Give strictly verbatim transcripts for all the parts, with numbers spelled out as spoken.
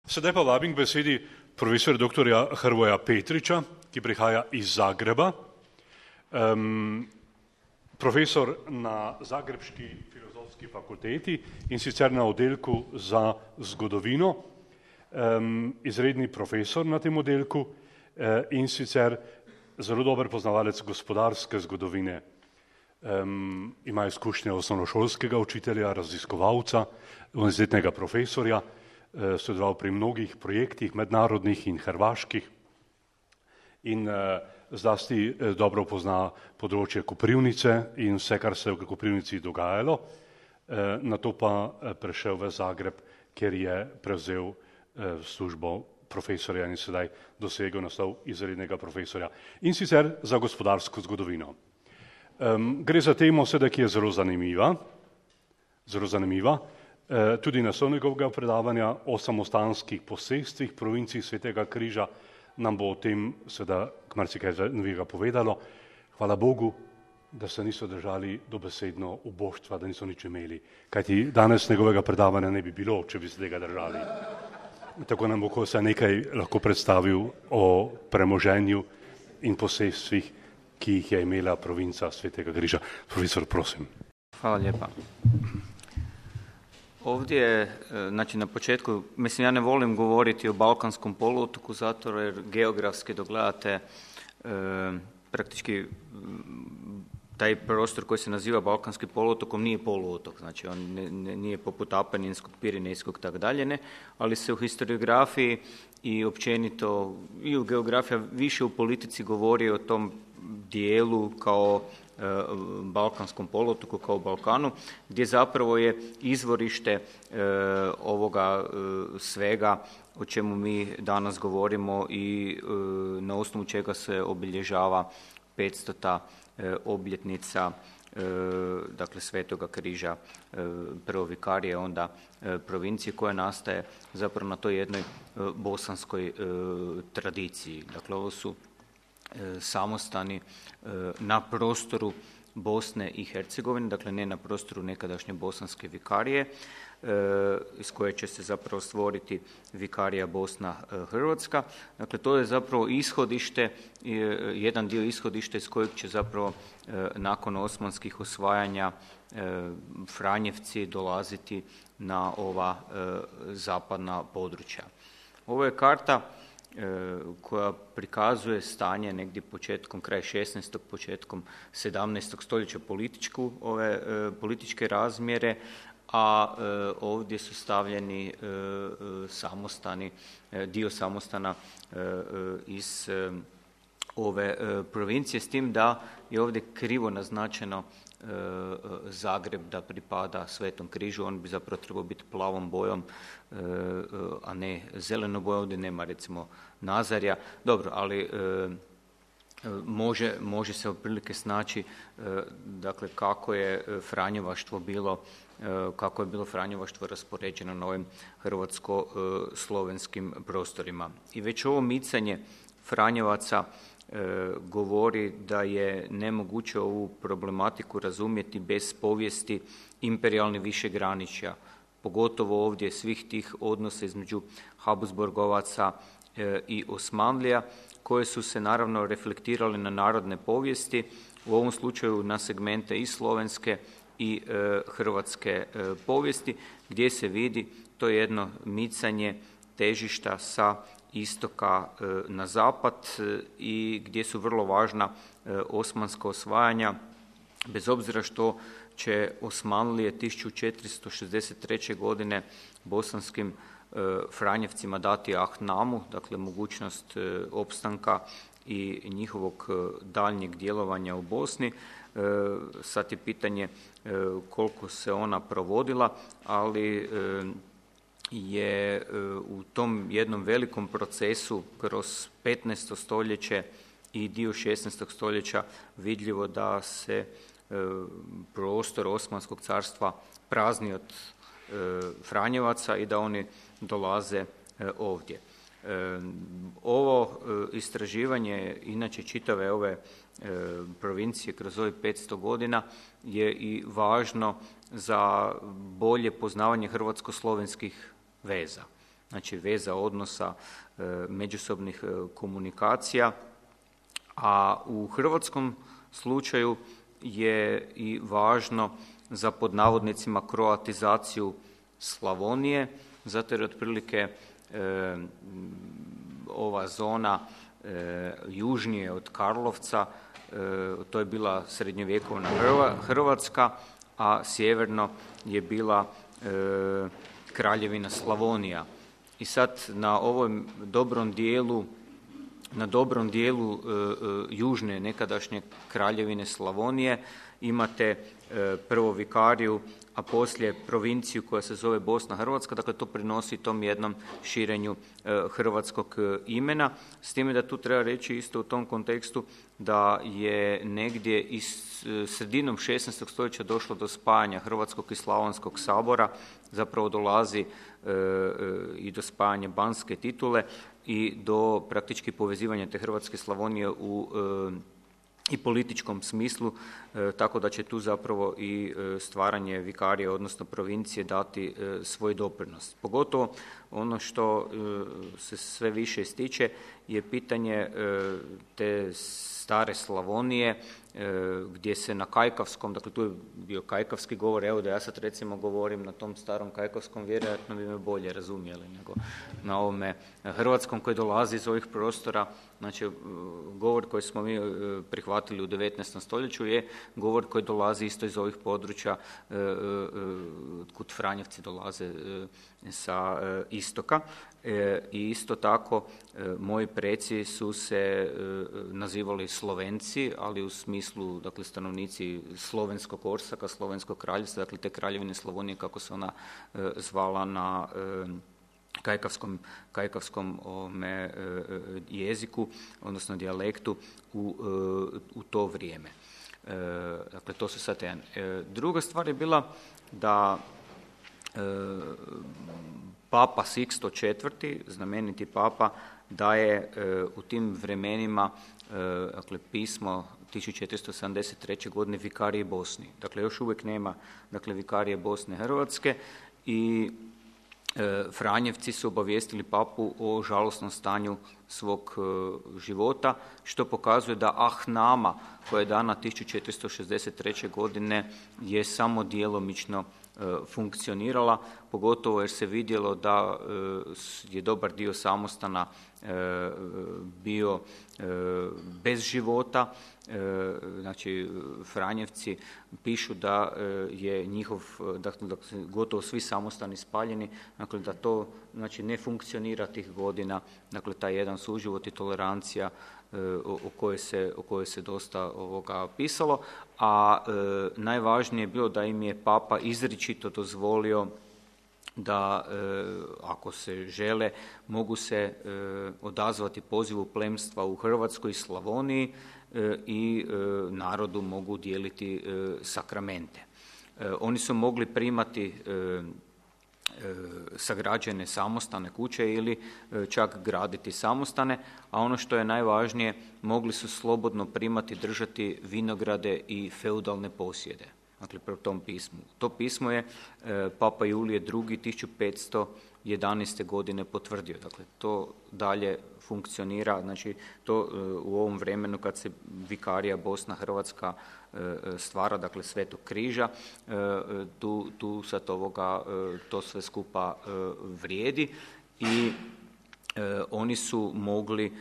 Sedaj pa vabim k besedi profesor doktorja Hrvoja Petriča, ki prihaja iz Zagreba. Um, profesor na Zagrebški filozofski fakulteti in sicer na oddelku za zgodovino, um, izredni profesor na tem oddelku uh, in sicer zelo dober poznavalec gospodarske zgodovine. Um, ima izkušnje osnovnošolskega učitelja, raziskovalca, univerzitetnega profesorja, uh, sodeloval pri mnogih projektih, mednarodnih in hrvaških in uh, zlasti uh, dobro pozna področje Koprivnice in vse, kar se je v Koprivnici dogajalo, uh, nato pa uh, prešel v Zagreb, kjer je prevzel uh, službo profesorja in sedaj dosegel naslov izrednega profesorja. In sicer za gospodarsko zgodovino. Um, gre za temo sedaj, ki je zelo zanimiva, zelo zanimiva, uh, tudi naslov njegovega predavanja o samostanskih posestvih provincij Svetega križa nam bo o tem sedaj marsikaj novega povedalo. Hvala Bogu, da se niso držali dobesedno uboštva, da niso nič imeli, kajti danes njegovega predavanja ne bi bilo, če bi se tega držali. Tako nam bo se nekaj lahko predstavil o premoženju in posestvih, ki jih je imela provinca Svetega križa. Profesor, prosim. Hvala lijepa. Ovdje, znači na početku, mislim ja ne volim govoriti o Balkanskom poluotoku zato jer geografski dogledate e, praktički taj prostor koji se naziva Balkanskim poluotokom nije poluotok, znači on ne, ne, nije poput Apeninskog, Pirinejskog tako dalje, ne, ali se u historiografiji i općenito i u geografiji više u politici govori o tom dijelu kao e, Balkanskom poluotoku, kao Balkanu, gdje zapravo je izvorište e, ovoga e, svega o čemu mi danas govorimo i e, na osnovu čega se obilježava petstota e, obljetnica e, dakle Svetoga križa, e, prvo vikarije, onda e, provincije koja nastaje zapravo na toj jednoj e, bosanskoj e, tradiciji. Dakle, ovo su samostani na prostoru Bosne i Hercegovine, dakle ne na prostoru nekadašnje bosanske vikarije, iz koje će se zapravo stvoriti vikarija Bosna-Hrvatska. Dakle, to je zapravo ishodište, jedan dio ishodišta iz kojeg će zapravo nakon osmanskih osvajanja Franjevci dolaziti na ova zapadna područja. Ovo je karta koja prikazuje stanje negdje početkom, kraj šesnaestog, početkom sedamnaestog stoljeća političku, ove političke razmjere, a ovdje su stavljeni samostani, dio samostana iz ove provincije, s tim da je ovdje krivo naznačeno Zagreb da pripada Svetom križu, on bi zapravo trebao biti plavom bojom, a ne zeleno bojom, ovdje nema recimo Nazarja, dobro, ali može, može se otprilike snaći dakle kako je franjevaštvo bilo, kako je bilo franjevaštvo raspoređeno na ovim hrvatsko-slovenskim prostorima. I već ovo micanje Franjevaca E, govori da je nemoguće ovu problematiku razumjeti bez povijesti imperijalnih višegraničja, pogotovo ovdje svih tih odnosa između Habsburgovaca e, i Osmanlija, koje su se naravno reflektirali na narodne povijesti, u ovom slučaju na segmente i slovenske i e, hrvatske e, povijesti, gdje se vidi to jedno micanje težišta sa istoka na zapad i gdje su vrlo važna osmanska osvajanja, bez obzira što će Osmanlije tisuću četiristo šezdeset treće. godine bosanskim Franjevcima dati ahnamu, dakle mogućnost opstanka i njihovog daljnjeg djelovanja u Bosni. Sad je pitanje koliko se ona provodila, ali je u tom jednom velikom procesu kroz petnaesto stoljeće i dio šesnaestog stoljeća vidljivo da se prostor Osmanskog carstva prazni od Franjevaca i da oni dolaze ovdje. Ovo istraživanje, inače čitave ove provincije kroz ovih petsto godina, je i važno za bolje poznavanje hrvatsko-slovenskih veza. znači veza odnosa, međusobnih komunikacija, a u hrvatskom slučaju je i važno za pod navodnicima kroatizaciju Slavonije, zato jer otprilike e, ova zona e, južnije od Karlovca, e, to je bila srednjovjekovna Hrvatska, a sjeverno je bila e, Kraljevina Slavonija. I sad na ovom dobrom dijelu na dobrom dijelu e, e, južne nekadašnje Kraljevine Slavonije imate e, prvo vikariju, a poslije provinciju koja se zove Bosna Hrvatska, dakle to prinosi tom jednom širenju e, hrvatskog e, imena, s time da tu treba reći isto u tom kontekstu da je negdje i sredinom šesnaestog stoljeća došlo do spajanja Hrvatskog i Slavonskog sabora, zapravo dolazi e, e, i do spajanja banske titule i do praktički povezivanja te Hrvatske Slavonije u e, i političkom smislu, e, tako da će tu zapravo i e, stvaranje vikarije, odnosno provincije, dati e, svoj doprinos. Pogotovo ono što e, se sve više ističe je pitanje e, te stare Slavonije, e, gdje se na kajkavskom, dakle tu je bio kajkavski govor, evo da ja sad recimo govorim na tom starom kajkavskom, vjerojatno bi me bolje razumjeli nego na ovome hrvatskom koji dolazi iz ovih prostora. Znači, govor koji smo mi prihvatili u devetnaestom stoljeću je govor koji dolazi isto iz ovih područja, kud Franjevci dolaze sa istoka. I isto tako, moji preci su se nazivali Slovenci, ali u smislu, dakle, stanovnici slovenskog Orsaka, slovenskog kraljevstva, dakle, te kraljevine Slavonije, kako se ona zvala na kajkavskom, kajkavskom ome, jeziku, odnosno dijalektu u, u to vrijeme. Dakle, to su sad jedan. Druga stvar je bila da Papa Siksto četvrti, znameniti papa, daje u tim vremenima, dakle, pismo tisuću četiristo sedamdeset treće. godine vikarije Bosni. Dakle, još uvijek nema, dakle, vikarije Bosne Hrvatske i Franjevci su obavijestili papu o žalosnom stanju svog života, što pokazuje da Ahnama, koja je dana tisuću četiristo šezdeset treće. godine, je samo djelomično funkcionirala, pogotovo jer se vidjelo da je dobar dio samostana bio bez života. Znači, Franjevci pišu da je njihov, dakle, gotovo svi samostani spaljeni, dakle, da to, znači, ne funkcionira tih godina, dakle, taj jedan suživot i tolerancija o kojoj se, o kojoj se dosta ovoga pisalo, a e, najvažnije je bilo da im je papa izričito dozvolio da, e, ako se žele, mogu se e, odazvati pozivu plemstva u Hrvatskoj i Slavoniji e, i e, narodu mogu dijeliti e, sakramente. E, oni su mogli primati e, sagrađene samostane, kuće ili čak graditi samostane, a ono što je najvažnije, mogli su slobodno primati, držati vinograde i feudalne posjede. Dakle, po tom pismu. To pismo je Papa Julije drugi. tisuću petsto jedanaeste. godine potvrdio. Dakle, to dalje funkcionira, znači to u ovom vremenu kad se vikarija Bosna Hrvatska stvara, dakle Svetog križa, tu, tu sad ovoga, to sve skupa vrijedi i oni su mogli,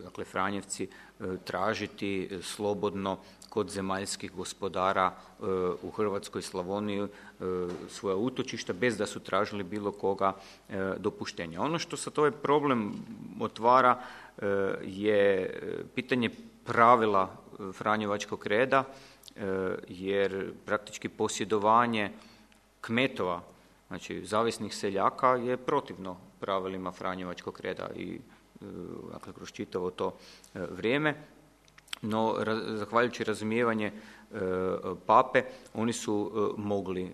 dakle Franjevci, tražiti slobodno kod zemaljskih gospodara u Hrvatskoj Slavoniji svoja utočišta bez da su tražili bilo koga dopuštenja. Ono što sad ovaj problem otvara je pitanje pravila Franjevačkog reda, jer praktički posjedovanje kmetova, znači zavisnih seljaka, je protivno pravilima Franjevačkog reda i, dakle, kroz čitavo to vrijeme. No, zahvaljujući razumijevanje e, pape, oni su e, mogli e,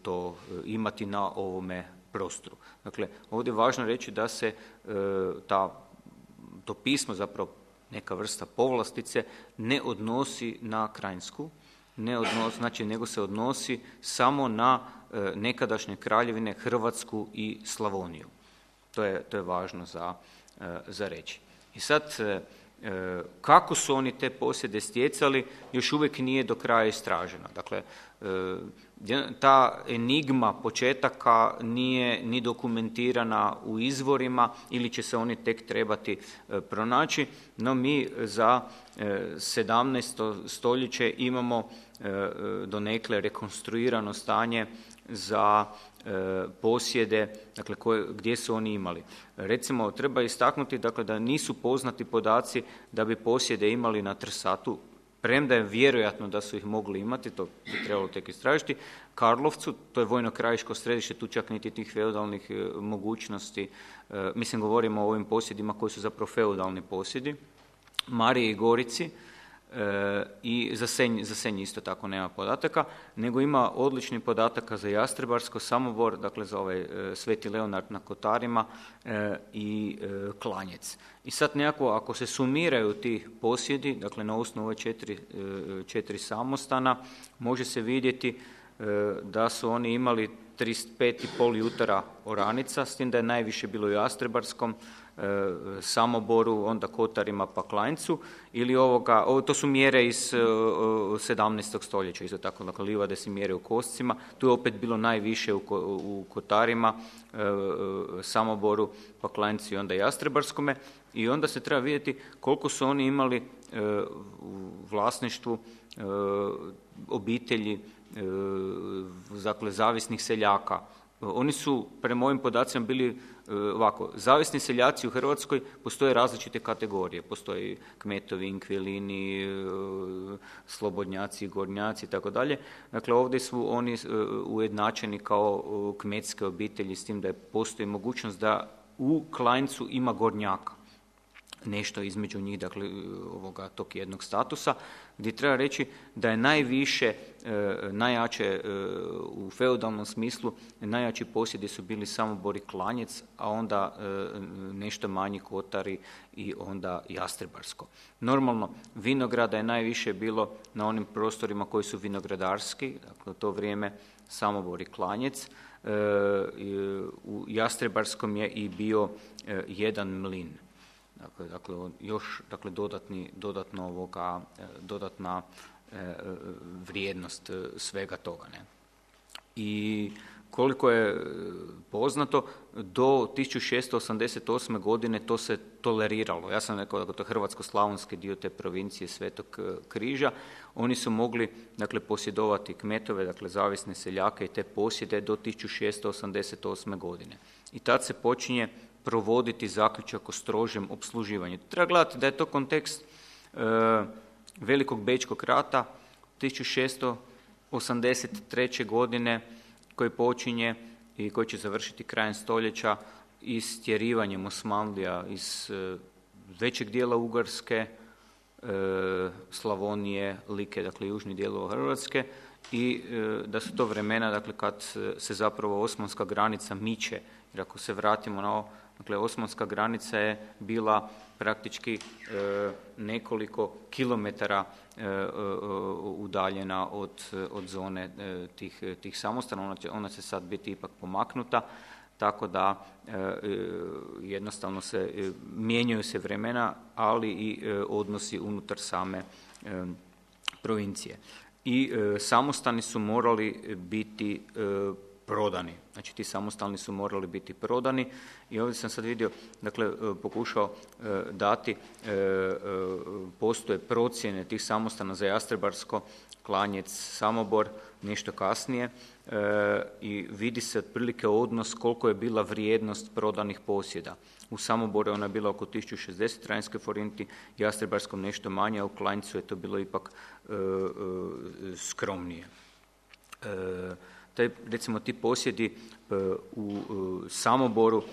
to imati na ovome prostoru. Dakle, ovdje je važno reći da se e, ta, to pismo, zapravo neka vrsta povlastice, ne odnosi na Krajnsku, ne odnosi, znači nego se odnosi samo na nekadašnje kraljevine Hrvatsku i Slavoniju. To je, to je važno za, za reći. I sad, kako su oni te posjede stjecali, još uvijek nije do kraja istraženo. Dakle, ta enigma početaka nije ni dokumentirana u izvorima ili će se oni tek trebati pronaći, no mi za sedamnaesto stoljeće imamo donekle rekonstruirano stanje za posjede, dakle, koje, gdje su oni imali. Recimo, treba istaknuti, dakle, da nisu poznati podaci da bi posjede imali na Trsatu, premda je vjerojatno da su ih mogli imati, to bi trebalo tek istražiti. Karlovcu, to je vojno-krajiško središte, tu čak niti tih feudalnih mogućnosti, mislim, govorimo o ovim posjedima koji su zapravo feudalni posjedi. Mariji i Gorici, E, i za Senj, za Senj isto tako nema podataka, nego ima odlični podataka za Jastrebarsko, Samobor, dakle za ovaj e, Sveti Leonard na Kotarima e, i e, Klanjec. I sad nekako, ako se sumiraju ti posjedi, dakle na osnovu ove četiri, e, četiri samostana, može se vidjeti e, da su oni imali trideset pet i pol jutara oranica, s tim da je najviše bilo u Jastrebarskom, Samoboru, onda Kotarima pa Klanjcu, ili ovoga, ovo, to su mjere iz sedamnaestog stoljeća, isto tako, dakle, livade se mjere u koscima, tu je opet bilo najviše u, u Kotarima, Samoboru, pa Klanjcu i onda Jastrebarskome, i onda se treba vidjeti koliko su oni imali u vlasništvu obitelji, dakle, zavisnih seljaka. Oni su, prema ovim podacima, bili ovako, zavisni seljaci u Hrvatskoj postoje različite kategorije, postoji kmetovi, inkvilini, slobodnjaci, gornjaci i tako dalje. Dakle, ovdje su oni ujednačeni kao kmetske obitelji, s tim da je postoji mogućnost da u Klanjcu ima gornjaka, nešto između njih, dakle, ovoga, tog jednog statusa, gdje treba reći da je najviše, najjače u feudalnom smislu, najjači posjedi su bili Samobor i Klanjec, a onda nešto manji Kotari i onda Jastrebarsko. Normalno, vinograda je najviše bilo na onim prostorima koji su vinogradarski, dakle, u to vrijeme Samobor i Klanjec. U Jastrebarskom je i bio jedan mlin. Dakle, dakle, još dakle, dodatni, dodatno ovoga, dodatna e, vrijednost svega toga. Ne? I koliko je poznato, do tisuću šesto osamdeset osme. godine to se toleriralo. Ja sam rekao da to je hrvatsko-slavonski dio te provincije Svetog Križa. Oni su mogli, dakle, posjedovati kmetove, dakle, zavisne seljake i te posjede do tisuću šesto osamdeset osme. godine. I tad se počinje provoditi zaključak o strožem opsluživanju. Treba gledati da je to kontekst e, Velikog Bečkog rata tisuću šesto osamdeset treće. godine, koji počinje i koji će završiti krajem stoljeća istjerivanjem Osmanlija iz e, većeg dijela Ugarske, e, Slavonije, Like, dakle južnih dijelova Hrvatske, i e, da su to vremena, dakle, kad se zapravo osmanska granica miče. Jer ako se vratimo na ovo, dakle, osmanska granica je bila praktički e, nekoliko kilometara e, e, udaljena od, od zone e, tih, tih samostana. Ona će, ona će sad biti ipak pomaknuta, tako da e, jednostavno se e, mijenjaju se vremena, ali i e, odnosi unutar same e, provincije. I e, samostani su morali biti e, prodani. Znači, ti samostalni su morali biti prodani i ovdje sam sad vidio, dakle, pokušao dati, postoje procjene tih samostana za Jastrebarsko, Klanjec, Samobor, nešto kasnije, i vidi se otprilike odnos koliko je bila vrijednost prodanih posjeda. U Samoboru je ona bila oko tisuću šezdeset rajnske forinti, Jastrebarskom nešto manje, a u Klanjcu je to bilo ipak skromnije. Taj, recimo, ti posjedi u Samoboru,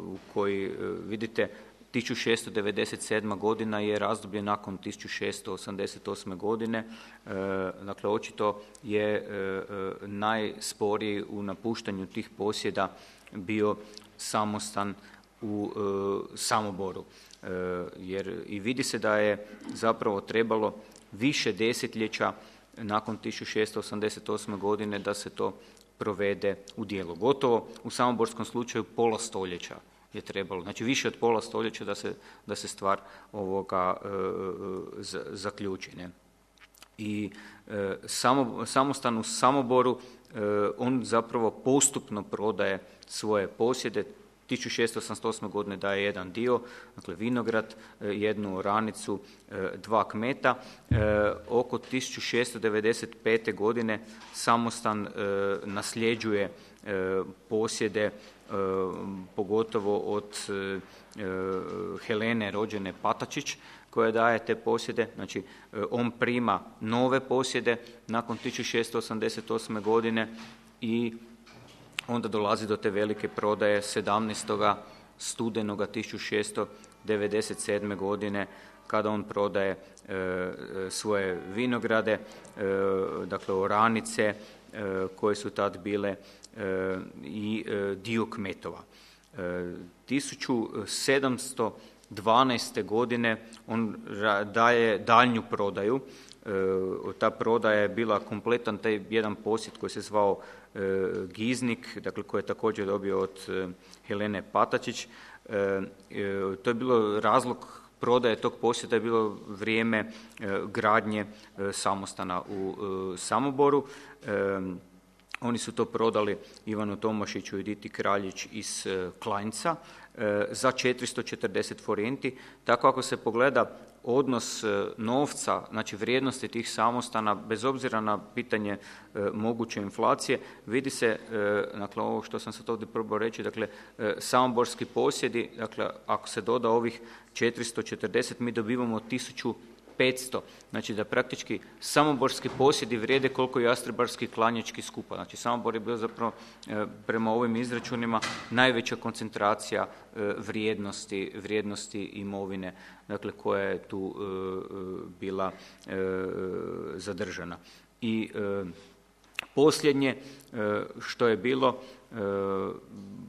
u koji vidite tisuću šesto devedeset sedma. godina je razdoblje nakon tisuću šesto osamdeset osme. godine, dakle, očito je najsporiji u napuštanju tih posjeda bio samostan u Samoboru, jer i vidi se da je zapravo trebalo više desetljeća nakon tisuću šesto osamdeset osme. godine da se to provede u djelo. Gotovo u samoborskom slučaju pola stoljeća je trebalo, znači više od pola stoljeća da se, da se stvar ovoga e, z, zaključi. Ne? I e, samo, samostan u Samoboru, e, on zapravo postupno prodaje svoje posjede. tisuću šesto osamdeset osme. godine daje jedan dio, dakle vinograd, jednu oranicu, dva kmeta. Oko tisuću šesto devedeset pete. godine samostan nasljeđuje posjede, pogotovo od Helene rođene Patačić, koja daje te posjede. Znači, on prima nove posjede nakon tisuću šesto osamdeset osme. godine i onda dolazi do te velike prodaje sedamnaestog studenoga tisuću šesto devedeset sedme. godine, kada on prodaje e, svoje vinograde, e, dakle oranice e, koje su tad bile e, i e, dio kmetova. E, tisuću sedamsto dvanaeste. godine on daje daljnju prodaju. E, ta prodaja je bila kompletan taj jedan posjed koji se zvao Giznik, dakle koji je također dobio od Helene Patačić. To je bilo razlog prodaje tog posjeda, je bilo vrijeme gradnje samostana u Samoboru. Oni su to prodali Ivanu Tomašiću i Diti Kraljić iz Klanjca za četiristo četrdeset forenti. Tako ako se pogleda odnos novca, znači vrijednosti tih samostana, bez obzira na pitanje e, moguće inflacije, vidi se, e, dakle ovo što sam sad ovdje probao reći, dakle e, samoborski posjedi, dakle ako se doda ovih četiristo četrdeset, mi dobivamo tisuću petsto, znači da praktički samoborski posjedi vrijede koliko jastrebarski klanjački skupa. Znači Samobor je bio zapravo e, prema ovim izračunima najveća koncentracija e, vrijednosti, vrijednosti imovine, dakle koja je tu e, bila e, zadržana. I e, posljednje e, što je bilo, e,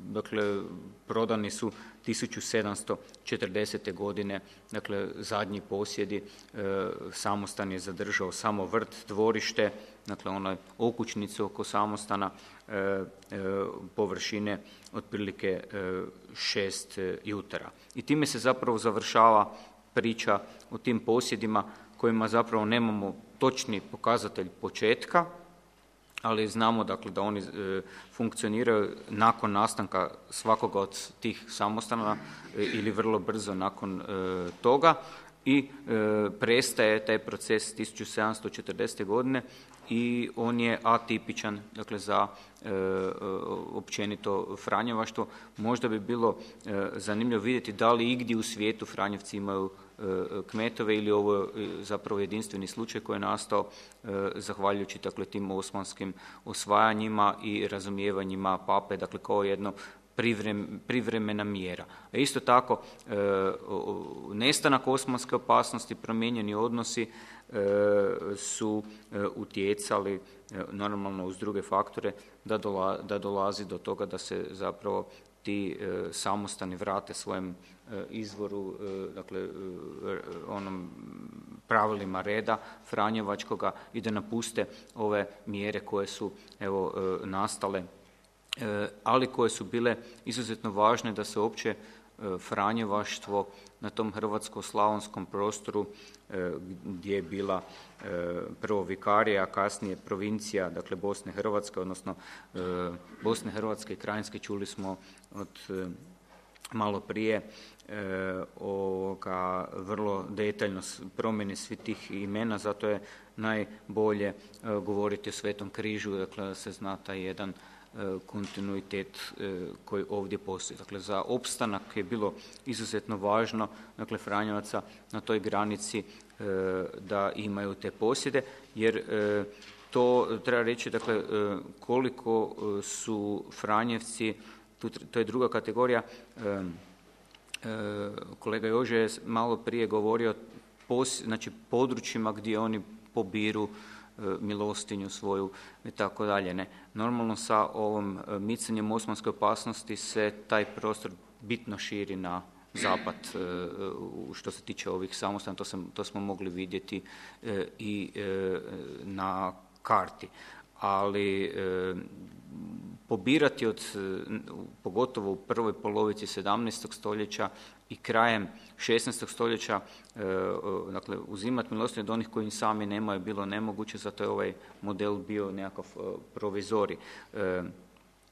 dakle prodani su tisuću sedamsto četrdesete. godine, dakle zadnji posjedi, e, samostan je zadržao samo vrt, dvorište, dakle onaj okućnicu oko samostana, e, e, površine otprilike e, šest jutara. I time se zapravo završava priča o tim posjedima kojima zapravo nemamo točni pokazatelj početka, ali znamo dakle da oni e, funkcioniraju nakon nastanka svakoga od tih samostana e, ili vrlo brzo nakon e, toga i e, prestaje taj proces tisuću sedamsto četrdesete. godine i on je atipičan, dakle za e, općenito franjevaštvo. Možda bi bilo e, zanimljivo vidjeti da li igdje u svijetu Franjevci imaju kmetove ili ovo je zapravo jedinstveni slučaj koji je nastao e, zahvaljujući dakle, tim osmanskim osvajanjima i razumijevanjima pape, dakle kao jedno privrem, privremena mjera. A isto tako e, nestanak osmanske opasnosti, promijenjeni odnosi e, su e, utjecali e, normalno uz druge faktore da, dola, da dolazi do toga da se zapravo ti e, samostani vrate svojem e, izvoru, e, dakle e, onom pravilima reda franjevačkoga i da napuste ove mjere koje su evo e, nastale, e, ali koje su bile izuzetno važne da se uopće e, franjevaštvo na tom hrvatsko-slavonskom prostoru e, gdje je bila e, prvo vikarija, a kasnije provincija, dakle Bosne Hrvatske, odnosno e, Bosne Hrvatske i Krajinske, čuli smo od e, malo prije e, ovoga, vrlo detaljno promjene svih tih imena, zato je najbolje e, govoriti o Svetom križu, dakle da se zna taj jedan kontinuitet koji ovdje postoji. Dakle, za opstanak je bilo izuzetno važno, dakle, Franjevaca na toj granici da imaju te posjede, jer to treba reći, dakle, koliko su Franjevci, to je druga kategorija, kolega Jože je malo prije govorio, znači, područjima gdje oni pobiru milostinju svoju i tako dalje. Ne. Normalno sa ovom micanjem osmanske opasnosti se taj prostor bitno širi na zapad što se tiče ovih samostana, to, sam, to smo mogli vidjeti i na karti. Ali pobirati od, pogotovo u prvoj polovici sedamnaestog stoljeća i krajem šesnaestog stoljeća, dakle, uzimati milostinju od onih koji im sami nemaju bilo nemoguće, zato je ovaj model bio nekakav provizorij.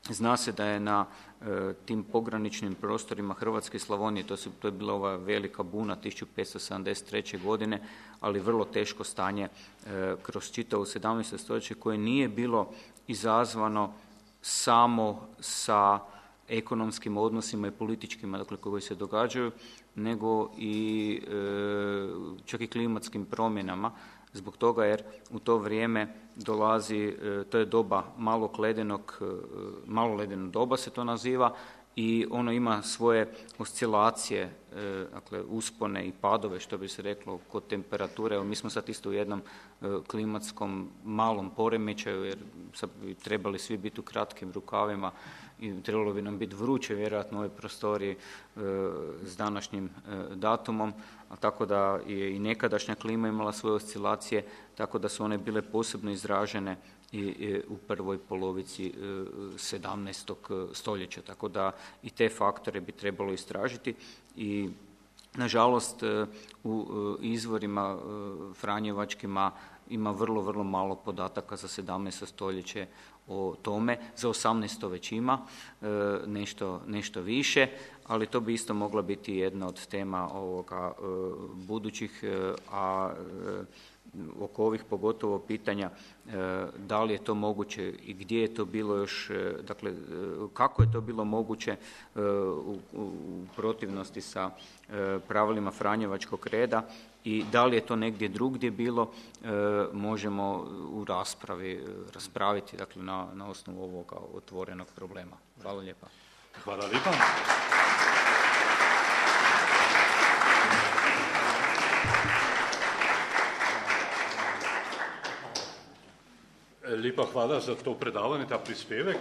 Zna se da je na e, tim pograničnim prostorima Hrvatske i Slavonije, to, su, to je bila ova velika buna tisuću petsto sedamdeset treće. godine, ali vrlo teško stanje e, kroz čitavo sedamnaesto. stoljeće koje nije bilo izazvano samo sa ekonomskim odnosima i političkima, dakle, koji se događaju, nego i e, čak i klimatskim promjenama, zbog toga jer u to vrijeme dolazi, to je doba malog ledenog, malo ledeno doba se to naziva, i ono ima svoje oscilacije, dakle uspone i padove, što bi se reklo, kod temperature. Evo, mi smo sad isto u jednom klimatskom malom poremećaju, jer sad bi trebali svi biti u kratkim rukavima i trebalo bi nam biti vruće vjerojatno u ovoj prostoriji s današnjim datumom, a tako da je i nekadašnja klima imala svoje oscilacije, tako da su one bile posebno izražene i u prvoj polovici sedamnaestog. stoljeća, tako da i te faktore bi trebalo istražiti. I nažalost u izvorima franjevačkima ima vrlo, vrlo malo podataka za sedamnaesto. stoljeće o tome, za osamnaesto. već ima nešto, nešto više, ali to bi isto mogla biti jedna od tema ovoga budućih, a oko ovih pogotovo pitanja da li je to moguće i gdje je to bilo još, dakle kako je to bilo moguće u, u protivnosti sa pravilima franjevačkog reda i da li je to negdje drugdje bilo, možemo u raspravi raspraviti, dakle na, na osnovu ovoga otvorenog problema. Hvala lijepa. Hvala lijepa. Lepa hvala za to predavanje, ta prispevek.